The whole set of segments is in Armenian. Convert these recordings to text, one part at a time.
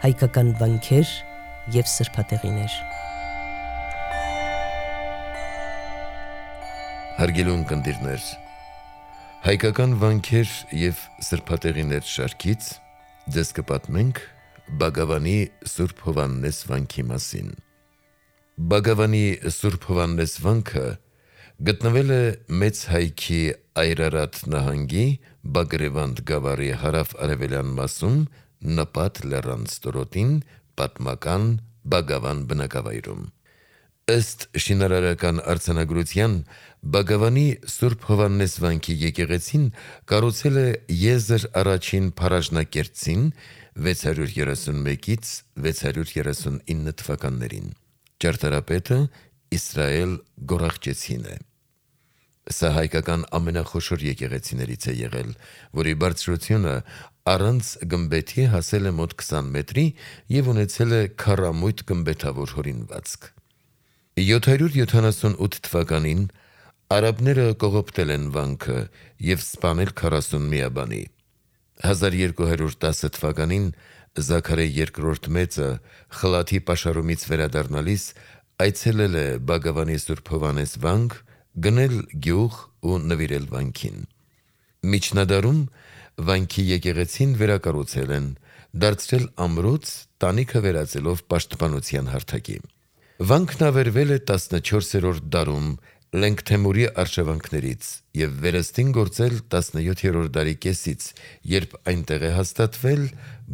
հայկական վանքեր և սրբատեղիներ։ Հարգելի ունկնդիրներ, հայկական վանքեր և սրբատեղիներ շարքից ձեզ կպատմենք Բագավանի Սուրբ Հովհաննես վանքի մասին։ Բագավանի Սուրբ Հովհաննես վանքը գտնվել է Մեծ Հայքի Այրարատ նահանգի Բագրևանդ գավառի հարավ-արևելյան մասում Նպատ լեռան ստորոտին պատմական Բագավան բնակավայրում։ Ըստ շինարարական արձանագրության, Բագավանի Սուրբ Հովհաննես վանքի եկեղեցին կառուցել է Եզր առաջին փարաժնակերտցին 631-ից 639 թվականներին։ Ճարտարապետը Իսրայել Գորախճեցին է։ Սա հայկական ամենախոշոր եկեղեցիներից է եղել, որի բարձրությունը առանց գմբեթի հասել է մոտ 20 մետրի և ունեցել է քառամույթ գմբեթավոր հորինվածք։ 778 թվականին արաբները կողոպտել են վանքը և սպանել 40 միաբանի։ 1210 թվականին Զաքարե II մեծը խլաթի պաշարումից վերադառնալիս այցելել է Բագավանի Սուրբ Հովհաննես վանք, գնել գյուղ ու նվիրել վանքին։ Միջնադարում վանքի եկեղեցին վերակառուցել են, դարձրել ամրոց, տանիքը վերածելով պաշտպանության հարթակի։ Վանքն ավերվել է 14-րդ դարում Լենգթեմուրի արշավանքներից և վերստին գործել 17-րդ դարի կեսից, երբ այնտեղ է հաստատվել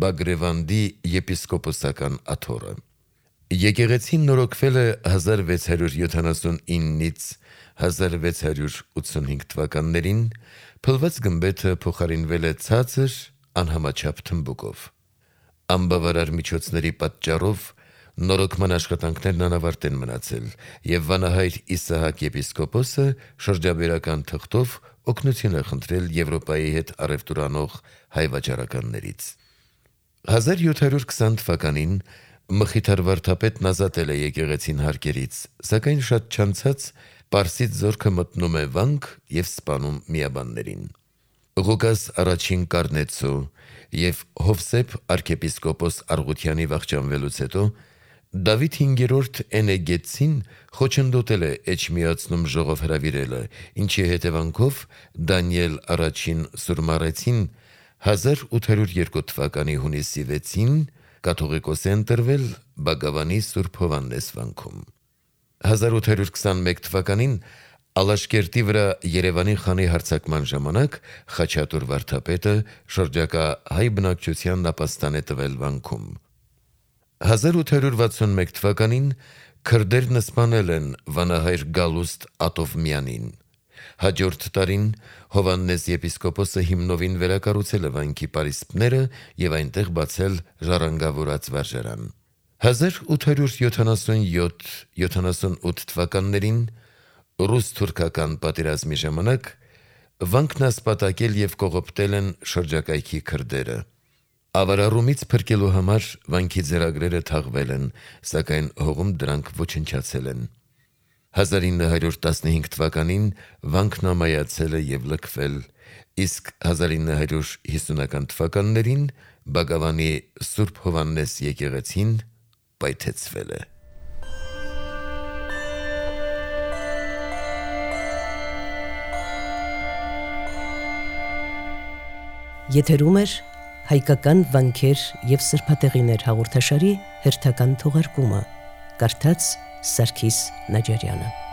Բագրևանդի եպիսկոպոսական աթոռը։ Եկեղեցին նորոգվել է 1679-ից 1685 թվականներին, փլված գմբեթը փոխարինվել է ցածր, անհամաչափ թմբուկով։ Անբավարար միջոցների պատճառով նորոգման աշխատանքներն անավարտ են մնացել, և վանահայր Իսահակ եպիսկոպոսը շրջաբերական թղթով օգնություն է խնդրել Եվրոպայի հետ առևտուր անող հայ վաճառականներից։ 1720 թվականին Մխիթար վարդապետն ազատել է եկեղեցին հարկերից, սակայն շատ չանցած Պարսից զորքը մտնում է վանք և սպանում միաբաններին։ Ղուկաս առաջին Կարնեցու և Հովսեփ arczepiskopos Արգուտյանի վախճանվելուց հետո Դավիթ V Էնեգետցին խոչընդոտել է Էջմիածնում ժողով հրավիրելը, ինչի հետևանքով Դանիել առաջին Սուրմարեցին 1802 թվականի հունիսի 6-ին կաթողիկոս է ընտրվել Բագավանի Սուրբ Հովհաննես վանքում։ 1821 թվականին Ալաշկերտի վրա Երևանի խանի հարձակման ժամանակ Խաչատուր վարդապետը շրջակա հայ բնակչությանն ապաստան է տվել վանքում։ 1861 թվականին քրդերն սպանել են վանահայր Գալուստ Ատովմյանին։ Հաջորդ տարին Հովհաննես եպիսկոպոսը հիմնովին վերակառուցել է վանքի պարիսպները և այնտեղ բացել ժառանգավորած վարժարան։ 1877-78 թվականներին ռուս-թուրքական պատերազմի ժամանակ վանքն ասպատակել և կողոպտել են շրջակայքի քրդերը։ Ավարառումից փրկելու համար վանքի ձեռագրերը թաղվել են, սակայն հողում դրանք ոչնչացել են։ 1915 թվականին վանքն ամայացել է և լքվել, իսկ 1950-ական թվականներին Բագավանի Սուրբ Հովհաննես եկեղեցին պայթեցվել է։ Եթերում էր հայկական վանքեր և սրբատեղիներ հաղորդաշարի հերթական թողարկումը, կարդաց Սարգիս Նաջարյանը։